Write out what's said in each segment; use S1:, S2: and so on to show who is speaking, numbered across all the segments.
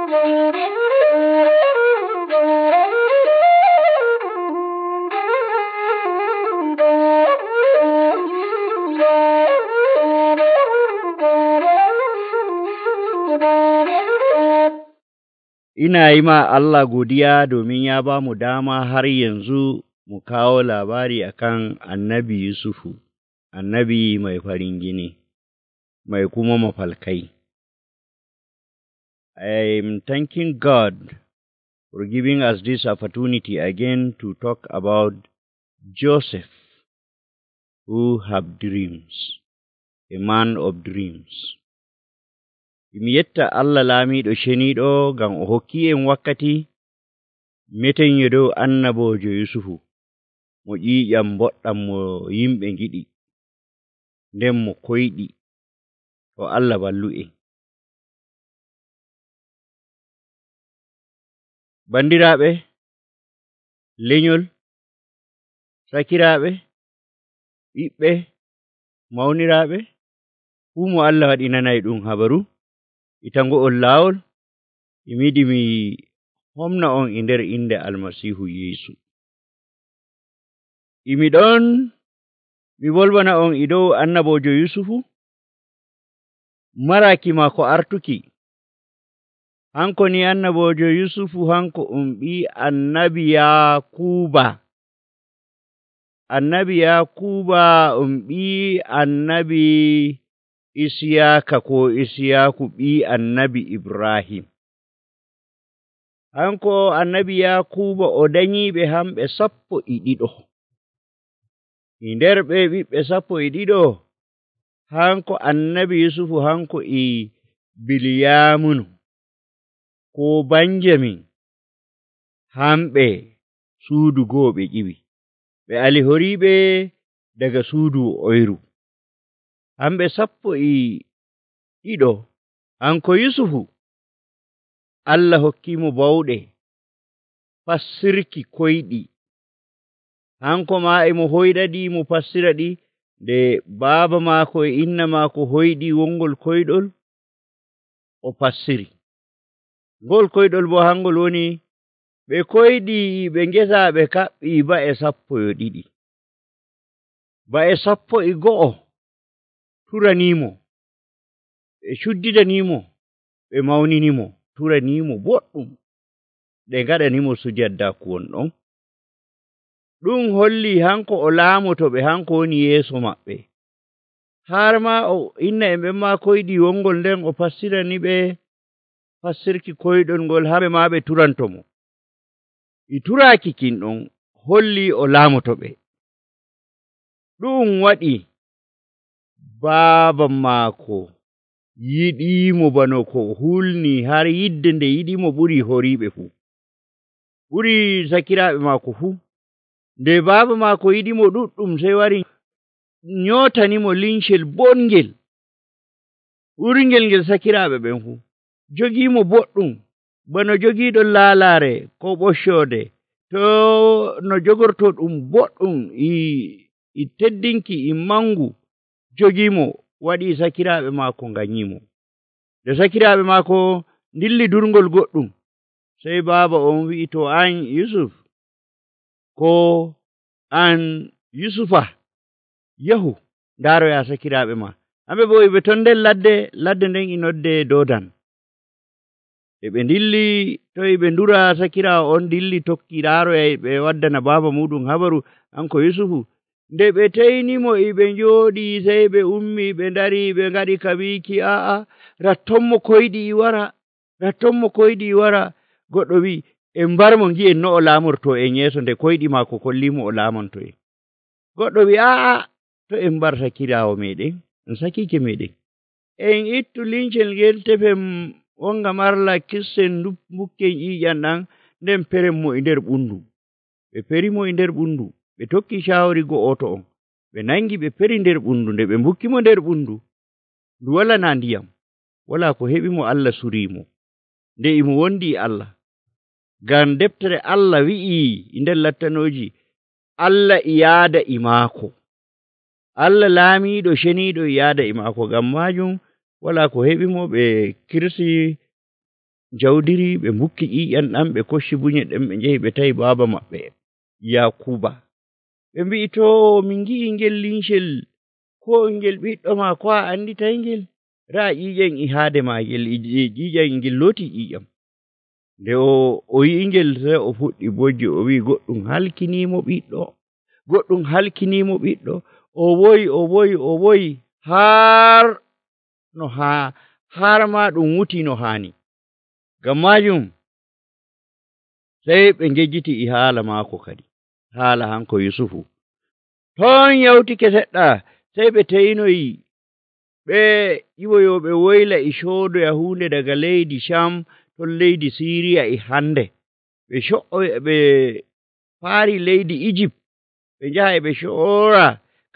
S1: Ina yi ma Allah godiya domin ya ba mu dama har yanzu mu kawo labari akan annabi Yusufu, annabi mai farin jini, mai kuma mafalkai. I'm thanking God for giving us this opportunity again to talk about Joseph, who have dreams, a man of dreams. Mi yetta Allah laamiɗo ceniiɗo ngam o hokki en wakkati meten yo dow annabojo Yusufu mo ƴiiƴam boɗɗam mo yimɓe ngiɗi nden mo koyɗi to Allah ballu en. Bandiraaɓe, lenyol, sakiraaɓe, ɓiɓɓe, mawniraaɓe, fuu mo Allah waɗi nanay ɗum habaru itango'on laawol, mi yiɗi mi homna on e nder inde Almasiihu Yeesu. Imi ɗon mi bolwana on e dow annabojo Yusufu, maraki maako artuki. Hanko ni annabojo Yusufu hanko ɓi annabi Yakuba. Annabi Yakuba ɓi annabi Isiyaka ko Isiyaku ɓi annabi Ibrahim. Hanko annabi Yakuba o danyiɓe hamɓe 12. E nder ɓe ɓiɓɓe 12 hanko annabi Yusufu hanko e Bilyamunu ko Banjamin hamɓe suudu goo ɓe ƴiwi. Ɓe alihoriɓe daga suudu oyru. Hamɓe 12 hanko Yusufu Allah hokkimo bawɗe fassirki koyɗi. Hanko ma emo hoyɗaɗi mo fassira ɗi nde baaba maako e inna maako hoyɗi wongol koyɗol o fassiri. Ngol koyɗol bo hangol woni ɓe koyɗi ɓe ngesa ɓe kaɓɓi ba'e 12. Ba'e 12 turanimo, ɓe cuddidanimo, ɓe mawninimo, turanimo boɗɗum, ɓe ngaɗanimo sujaddaku wonɗon. Ɗum holli hanko o laamotoɓe, hanko woni yeeso maɓɓe. Har ma o inna en ɓen ma koyɗi wongol nden o fassirani ɓe fassirki koyɗol ngol hamɓe ma ɓe turantomo. E turaki kin ɗon holli o laamotoɓe. Ɗum waɗi baaba maako yiɗimo bano ko hulni har yidde nde yiɗimo ɓuri horiɓe fuu, ɓuri sakiraaɓe maako fuu. Nde baaba maako yiɗimo ɗuɗɗum sey wari nyotanimo lincel bongel ɓurngel ngel sakiraaɓe ɓen fuu. Jogimo boɗɗum bano jogiiɗo laalaare ko ɓoccode, to no jogorto ɗum boɗɗum e teddinki e mangu, jogimo waɗi sakiraaɓe maako nganyimo. Nde sakiraaɓe maako dilli durngol goɗɗum, sey baaba on wi'i, to an Yusuf ko an Yusufa, yahu ndaaroya sakiraaɓe ma. Hamɓe bo ɓe ton nder ladde nden e nodde Dodan. E ɓe dilli toy ɓe ndura, sakiraawo on dilli tokki ndaaroya ɓe waddana baaba muɗum habaru hanko Yusufu. Nde ɓe teynimo e ɓe njooɗi, sey ɓe ummi ɓe ndari ɓe ngaɗi ka wiiki, a'a rattonmo koyɗi wara, rattonmo koyɗi wara. Goɗɗo wi'i, en mbarmo ngi'en no o laamorto en yeeso nde koyɗi maako kollimo o laamonto en. Goɗɗo wi'i, a'a to en mbar sakiraawo meɗen, en sakike meɗen, en ittu lincel ngel tefen wonga marla kissen mbukken ƴiiƴam ɗan, nden peren mo e nder ɓundu. Ɓe perimo e nder ɓundu, ɓe tokki shawari go'oto on, ɓe nangi ɓe peri nder ɓundu. Nde ɓe mbukkimo nder ɓundu, ndu wala na ndiyam, wala ko heɓimo, Allah surimo nde imo wondi Allah. Ngam deftere Allah wi'i e nder lattanoji, Allah e yaada e maako, Allah laamiɗo ceniiɗo e yaada e maako. Ngam majum wala ko heɓimo, ɓe kirsi jawdiri ɓe mbukki ƴiƴam ɗam ɓe kocci bunye ɗen ɓe njehi ɓe tawi baaba maɓɓe Yakuba ɓe mbi'i to min ngi'i ngel lincel ko ngel ɓiɗɗo ma ko a anditay ngel raa ƴiƴam e haade maagel ƴiƴam ngel looti ƴiƴam nde o yi'i ngel sey o fuɗɗi bojji o wi'i goɗɗum halkiniimo ɓiɗɗo goɗɗum halkiniimo ɓiɗɗo o woyi har ma ɗum wuti no haani ngam maajum sey ɓe ngejjiti e haala maako kadi haala hanko Yusufu ton yawtike seɗɗa sey ɓe teynoyi ɓe ƴiwoyooɓe woyla e coodoya huunde daga leydi Cam ton leydi Siiriya e hannde ɓe paari leydi Ijip ɓe njaha e ɓe coora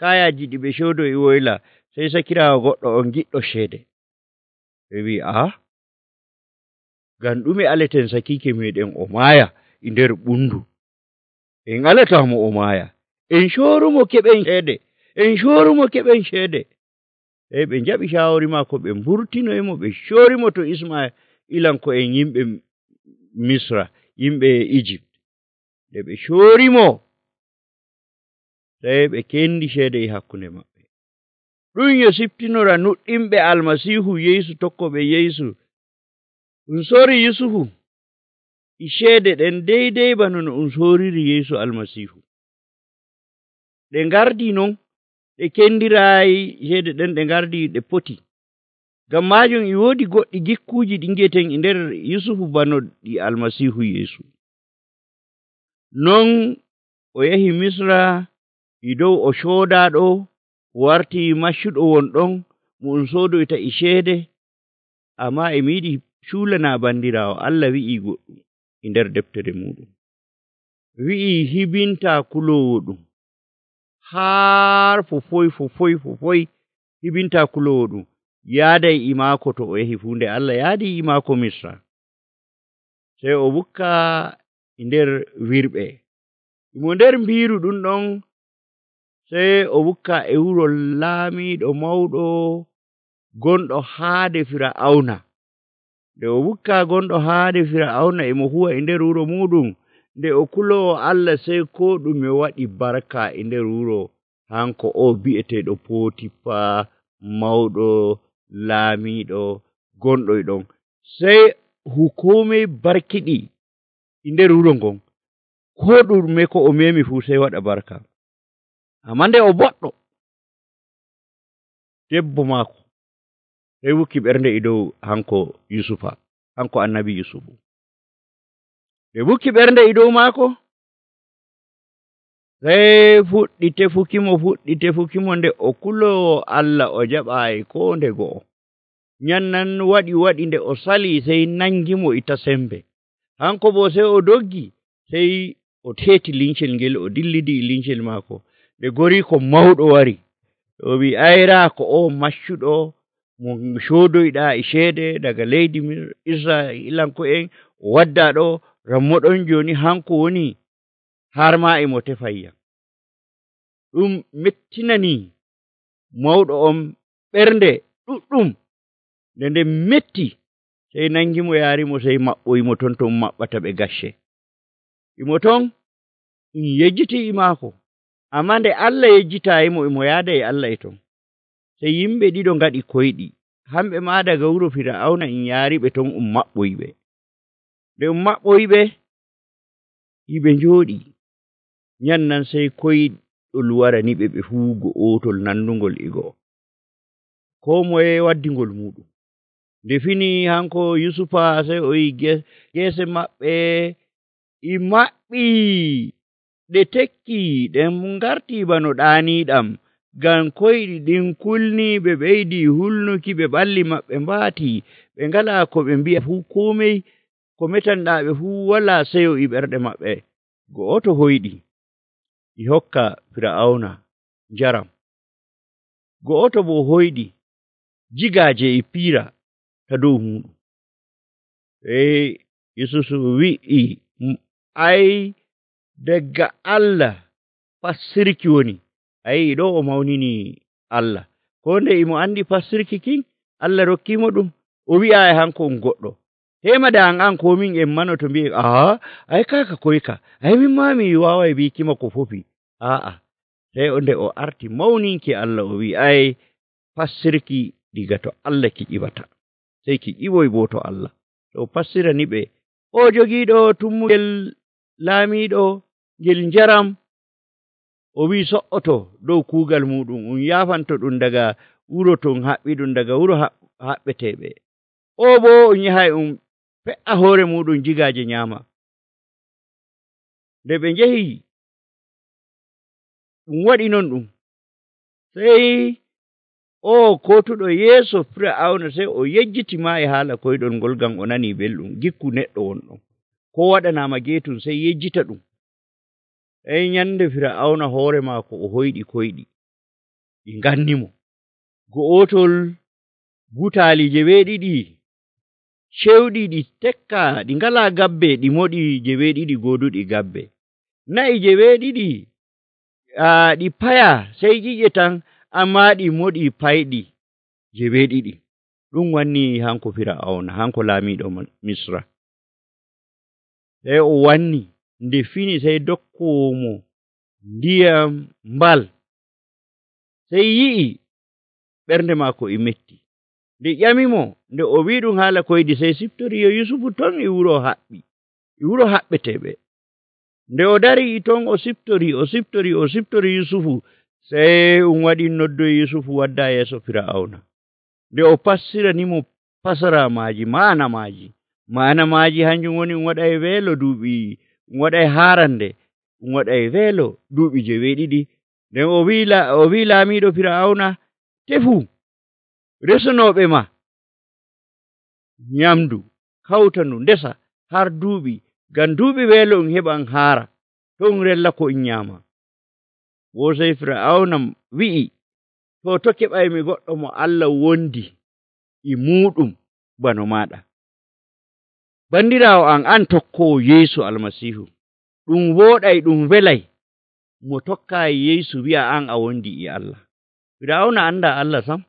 S1: kayaaji ɗi ɓe coodo e woyla sey sakiraawo goɗɗo on giɗɗo ceede ɓe wi'i ngam ɗume aleten sakiike meeɗen o maaya e nder ɓundu en alataamo o maaya en coorumo keɓen ceede sey ɓe njaɓi caawori maako ɓe mburtinoyimo ɓe coorimo to Ismailanko'en yimɓe Misra yimɓe Egypt nde ɓe coorimo sey ɓe kendi ceede e hakkunde maɓɓe ɗum yo siftinora nuɗɗinɓe Almasiihu Yeesu tokkoɓe Yeesu ɗum soori Yusufu e ceede ɗen deydey bano no ɗum sooriri Yeesu Almasiihu ɗe ngardi non ɗe kendiraayi ceede ɗen ɗe ngardi ɗe poti ngam maajum e woodi goɗɗi gikkuuji ɗi ngiyeten e nder Yusufu bano ɗi Almasiihu Yeesu non o yahi Misra e dow o coodaaɗo wartii maccuɗo won ɗon mo ɗum soodoyta e ceede ammaa e mi yiɗi cuulanaa banndiraawo Allah wi'ii goɗɗum e nder deftere muɗum wi'ii hibintaa kuloowo ɗum har fofoy hibintaa kuloowo ɗum yaaday e maako to o yahi fuu nde Allah yaadii e maako Misra sey o wukka e nder wirɓe mo nder mbiiru ɗum ɗon sey o wukka e wuro laamiiɗo mawɗo gonɗo haade Fir'awna nde o wukka gonɗo haade Fir'awna e mo huwa e nder wuro muɗum nde o kuloowo Allah sey ko ɗume waɗi barka e nder wuro hanko o bi'eteeɗo Pootifa mawɗo laamiiɗo gonɗo e ɗon sey hukuumey barkiɗi e nder wuro ngon ko ɗume ko o memi fuu sey waɗa barka ammaa nde o boɗɗo debbo maako sey wukki ɓernde e dow hanko Yusufa hanko annabi Yusufu ɓe wukki ɓernde e dow maako sey fuɗɗi tefukimo nde o kuloowo Allah o jaɓaayi ko nde go'o nyannan waɗi nde o salii sey nangimo e tasembe hanko boo sey o doggi sey o teeti lincel ngel o dillidi e lincel maako nde goriiko mawɗo wari o wi'i ayraa ko o maccuɗo mo coodoyɗaa e ceede daga leydi Israa'iilanko'en o waddaa ɗo rammo ɗon jooni hanko woni har maa e mo tefayya ɗum mettinanii mawɗo on ɓernde ɗuɗɗum nde metti sey nangimo yaarimo sey maɓɓoyimo ton to maɓɓata ɓe gacce imo ton yejjiti e maako ammaa nde Allah yejjitaayimo emo yaada e Allah e ton sey yimɓe ɗiɗo ngaɗi koyɗi hamɓe maa daga wuro Fir'awna yaariɓe ton maɓɓoyɓe nde maɓɓoyɓe yiɓe njooɗi nyannan sey koyɗol waraniɓe ɓe fuu go'otol nandungol e go'o koo moye waddingol muɗum nde fini hanko Yusufa sey o yi geese maɓɓe e maɓɓi ɗe tekki ɗen ngartii bano ɗaaniiɗam ngam koyɗi ɗin kulnii ɓe ɓeydii hulnuki ɓe ɓalli maɓɓe mbaatii ɓe ngalaa ko ɓe mbi'a fuu komey ko metanɗaa ɓe fuu walaa seyo e ɓerɗe maɓɓe go'oto hoyɗi e hokka Fir'awna njaram go'oto boo hoyɗi jigaaje e piira ta dow muɗum Yusufu wi'i daga Allah fassirki woni ɗo o mawninii Allah ko nde imo anndi fassirki kin Allah rokkiimo ɗum o wi'aayi hanko on goɗɗo hemada an ko min en manoto mbi'en ay kaka koyka ay min ma mi waaway bikima ko fofi sai nde o arti mawninki Allah o wi ay fassirki diga to Allah ki ƴiwata sai ki ƴiwoy bo to Allah to fassirani ɓe o jogiiɗo tummugel laamiiɗo ngel njaram o wi so'oto dow kuugal muɗum yaafanto ɗum daga wuro ton haɓɓi ɗum daga wuro haɓɓeteɓe o bo yahay fe'a hoore muɗum jigaaje nyaama nde ɓe njehi ɗum waɗi non ɗum sey o kotuɗo yeeso Fir'aawna sey o yejjitima e haala koyɗol ngol ngam o nani belɗum gikku neɗɗo wonɗon ko waɗanaama geetum sey yejjita ɗum ey nyande Fir'aawna hoore maako o hoyɗi koyɗi ɗi ngannimo go'otol butaali 7 cewɗi ɗi tekka ɗi ngalaa gabbe ɗi moɗi 7 gooduɗi gabbe na'i 7 ɗi paya sey ƴiƴe tan amma ɗi moɗi payɗi 7 ɗum wanni hanko Fir'aawna hanko laamiiɗo Misra sey o wanni nde fini sey dokkomo ndiyam mbal sey yi'i ɓernde maako e metti nde ƴamimo nde o wi ɗum haala koyɗi sey siftori yo Yusufu ton e wuro haɓɓeteɓe nde o dari ton o siftori Yusufu sey waɗi noddoyi Yusufu wadda yeeso Fir'aawna nde o passiranimo fasaramaji maana maaji hanjum woni waɗay weelo duuɓi waɗay haarande waɗay weelo duuɓi 7 nden o wi laamiiɗo Fir'aawna tefu resunoɓe ma nyamdu kawtandu ndesa har duuɓi ngam duuɓi weelo heɓan haara ton rella ko nyaama wo sey Fir'aawna wi'i to keɓaymi goɗɗo mo Allah wondi e muɗum bano maɗa bandiraawo an tokkowo Yeesu Almasiihu ɗum wooɗay ɗum welay mo tokka Yeesu wi'a an a wondi e Allah Fir'aawna anda Allah sam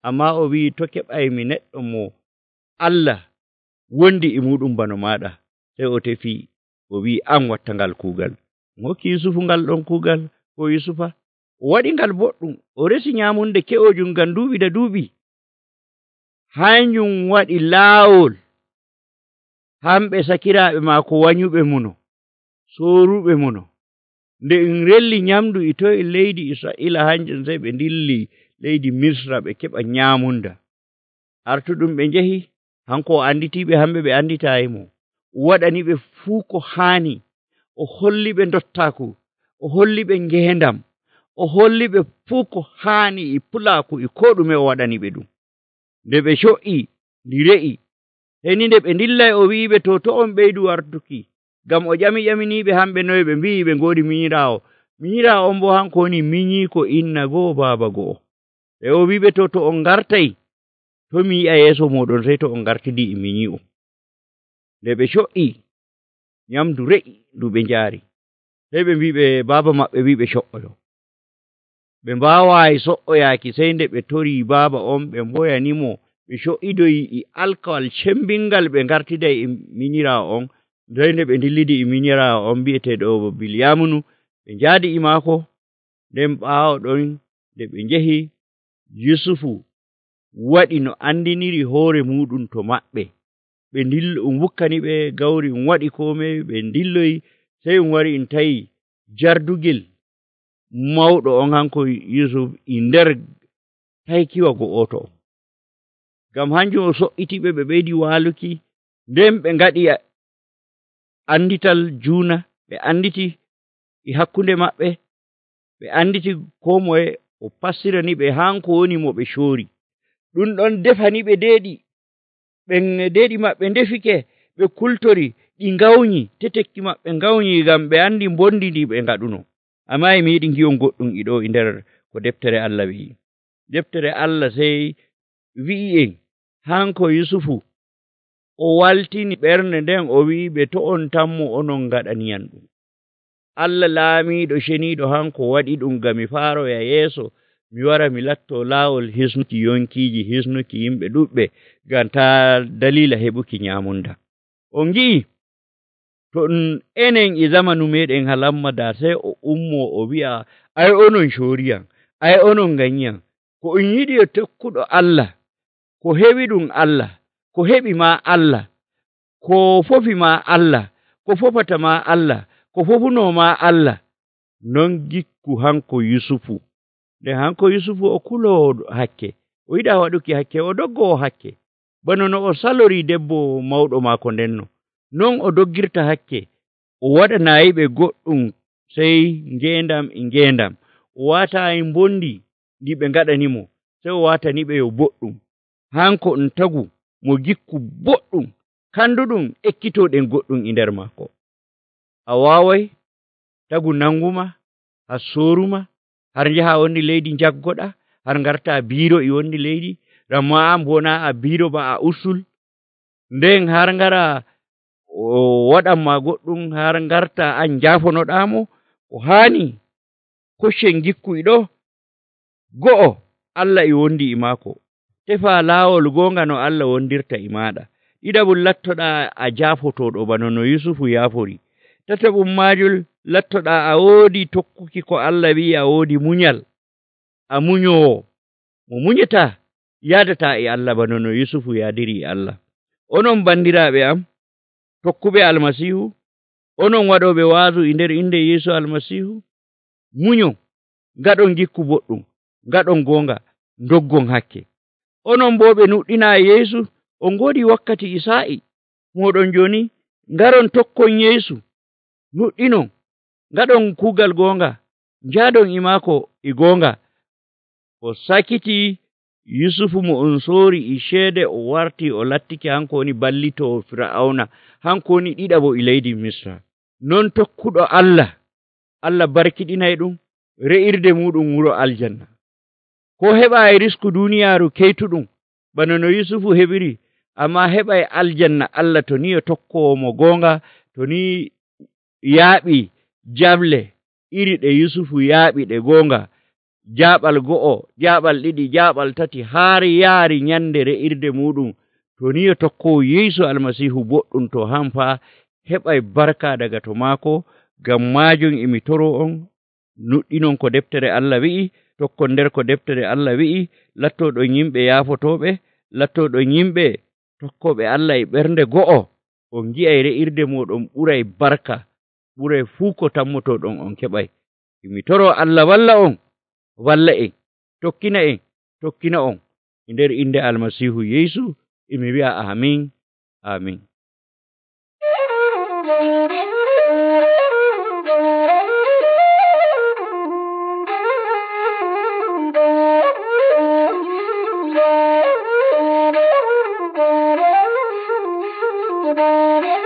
S1: amma o wi to keɓaymi neɗɗo mo Allah wondi e muɗum bano maɗa sey o tefi o wi an watta ngal kuugal hokki Yusufu ngal ɗon kuugal ko Yusufa o waɗi ngal boɗɗum o resi nyamunde ke'ojum ngam duuɓi da duuɓi hanjum waɗi laawol hamɓe sakiraaɓe maako wanyuɓe muno sooruɓe muno nde relli nyamdu e to e leydi Israa'ila hanjum sey ɓe dilli leydi Misra ɓe keɓa nyamunda artuɗum ɓe njehi hanko o anditiɓe hamɓe ɓe anditayimo waɗani ɓe fuu ko haani o holli ɓe dottaku o holli ɓe ngendam o holli ɓe fuu ko haani e pulaaku e ko ɗume o waɗani ɓe ɗum nde ɓe co'i ndi re'i heni nde ɓe dillay o wi'iɓe to on ɓeydu wartuki ngam o ƴaminiɓe hamɓe noye ɓe mbi'i ɓe ngoodi minyiraawo on bo hanko woni minyiiko inna go'o baaba go'o e o wi'iɓe to on ngartay to mi yi'a yeeso moɗon sey to on ngartidi e minyi'o nde ɓe co'i nyamdu re'i ndu ɓe njaari sey ɓe mbiɓe baaba maɓɓe wiɓe co'oyo ɓe mbaawayi so'oyaaki sey nde ɓe tori baaba on ɓe mboyanimo ɓe co'idoyi e alkawal cembingal ɓe ngartiday e minyiraawo on sey nde ɓe dillidi e minyiraawo on bi'eteeɗo Bilyamunu ɓe njaadi e maako nden ɓaawo ɗon nde ɓe njehi Yusufu waɗi no andiniri hoore muɗum to maɓɓe ɓe wukkani ɓe gawri waɗi komai ɓe dilloyi sey wari tawi jardugel mawɗo on hanko Yusuf e nder taykiwa go'oto on ngam hanjum o so'itiɓe ɓe ɓeydi waaluki nden ɓe ngaɗi andital juuna ɓe anditi e hakkunde maɓɓe ɓe anditi ko moye o passirani ɓe hanko woni mo ɓe coori ɗum ɗon defani ɓe deeɗi maɓɓe ndefike ɓe kultori ɗi ngawñi tetekki maɓɓe ngawñi ngam ɓe andi bondi ndi ɓe ngaɗuno amma mi yiɗi ngiyon goɗɗum iɗo e nder ko deftere Allah wi'i deftere Allah sey wi'i en hanko Yusufu o waltini ɓernde nden o wi'iɓe to on tammo onon ngaɗaniyan ɗum Allah laamiiɗo ceniiɗo hanko waɗi ɗum ngam mi faaroya yeeso mi wara mi latto laawol hisnuki yonkiiji hisnuki yimɓe ɗuɓɓe ngam ta dalila heɓuki nyamunda. On ngi'i to enen e zamanu meɗen halamma da sey o ummo o wi'a ai onon shoriyam ai onon ganyiyam ko on yiɗi e tokkuɗo Allah ko heɓi ɗum Allah ko heɓi ma Allah ko fofi ma Allah ko fofata ma Allah ko fofuno ma Allah non gikku hanko Yusufu. Nde hanko Yusufu o kulowo hakke o yiɗa waɗuki hakke o doggowo hakke bano no o salori debbo mawɗo maako ndenno non o doggirta hakke o waɗanayiɓe goɗɗum sey ngendam o watayi mbondi ndi ɓe ngaɗanimo sey o wataniɓe yo boɗɗum hanko tagu mo gikku boɗɗum kanduɗum ekkitoɗen goɗɗum e nder maako. A wawai tagu nanguma har soruma har njaha wonni leydi jaggoɗa har garta biro e wonni leydi ramma an bona a biro ba a usul nden har ngara o waɗanma goɗɗum har garta an jafonoɗamo o hani koccen gikku ɗo go'o Allah e wondi e maako tefa laawol gonga no Allah wondirta e maɗa. Ɗiɗaɓum lattoɗa a jafotoɗo bano no Yusufu yafori. Tataɓum majul lattoɗa a woodi tokkuki ko Allah wi'i a woodi munyal a munyowo mo munyata yadata e Allah bano no Yusufu yadiri e Allah. Onon bandiraɓe am tokkuɓe almasihu onon waɗoɓe waazu e nder inde Yeesu almasihu munyo ngaɗon gikku boɗɗum ngaɗon gonga doggon hakke. Onon bo ɓe nuɗɗina Yeesu on godi wakkati isa'i moɗon joni ngaron tokkon Yeesu nuɗɗinon ngaɗon kuugal gonga njadon e maako e gonga. O sakiti Yusufu mo on soori e ceede o warti o lattiki hanko woni ballitowo Fir'auna hanko woni ɗiɗaɓo e leydi Misra. Non tokkuɗo Allah Allah barkiɗinay ɗum re'irde muɗum wuro aljanna ko heɓa e risku duniyaaru keytuɗum bano no Yusufu heɓiri amma heɓa e aljanna Allah to ni o tokkowo mo gonga to ni yaaɓi jable iri ɗe Yusufu yaaɓi ɗe gonga jaɓal go'o jaɓal ɗiɗi jaɓal tati har yaari nyande re'irde muɗum to ni o tokkowo Yeesu almasihu boɗɗum to hanfa heɓay barka daga to maako. Ngam majum emi toro on nuɗɗinon ko deftere Allah wi'i tokkon nder ko deftere Allah wi'i lattoɗon yimɓe yaafotoɓe lattoɗon yimɓe tokkoɓe Allah e ɓernde go'o on gi'ay re'irde moɗon ɓuray barka ɓuray fuu ko tammotoɗon on keɓay. Emi toro Allah walla on walla en tokkina on e nder inde almasihu Yeesu emi wi'a amin amin.
S2: Bye.